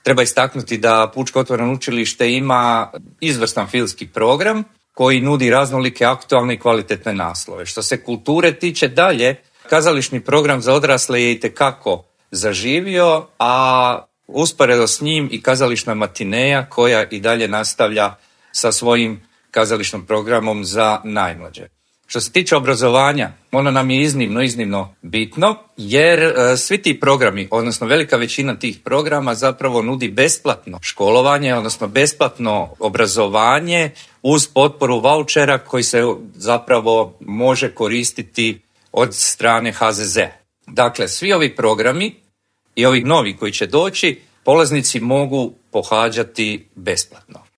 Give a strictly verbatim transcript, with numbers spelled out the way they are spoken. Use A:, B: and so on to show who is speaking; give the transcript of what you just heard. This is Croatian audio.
A: treba istaknuti da Pučko otvoreno učilište ima izvrstan filmski program koji nudi raznolike aktualne i kvalitetne naslove. Što se kulture tiče dalje, kazališni program za odrasle je itekako zaživio, a usporedo s njim i kazališna matineja koja i dalje nastavlja sa svojim kazališnim programom za najmlađe. Što se tiče obrazovanja, ono nam je iznimno, iznimno bitno, jer e, svi ti programi, odnosno velika većina tih programa zapravo nudi besplatno školovanje, odnosno besplatno obrazovanje uz potporu vaučera koji se zapravo može koristiti od strane H Z Z. Dakle, svi ovi programi i ovi novi koji će doći, polaznici mogu pohađati besplatno.